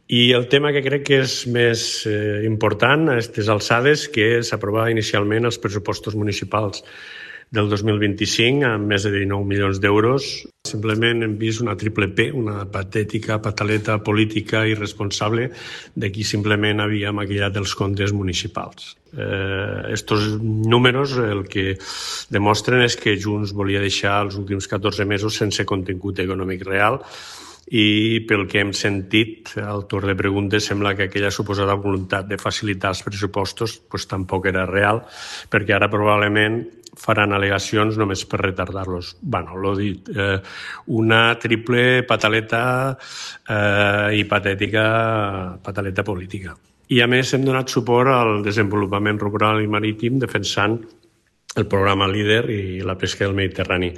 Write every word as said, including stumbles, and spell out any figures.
I el tema que crec que és més eh, important a aquestes alçades, que s'aprovava inicialment els pressupostos municipals del dos mil vint-i-cinc amb més de dinou milions d'euros. Simplement hem vist una triple P, una patètica pataleta política irresponsable de qui simplement havia maquillat els comptes municipals. Eh, estos números el que demostren és que Junts volia deixar els últims catorze mesos sense contingut econòmic real, i pel que hem sentit al torn de preguntes sembla que aquella suposada voluntat de facilitar els pressupostos pues, tampoc era real, perquè ara probablement faran al·legacions només per retardar-los. Bueno, l'ho dit, eh, una triple pataleta eh, i patètica pataleta política. I a més hem donat suport al desenvolupament rural i marítim defensant el programa LEADER i la pesca del Mediterrani.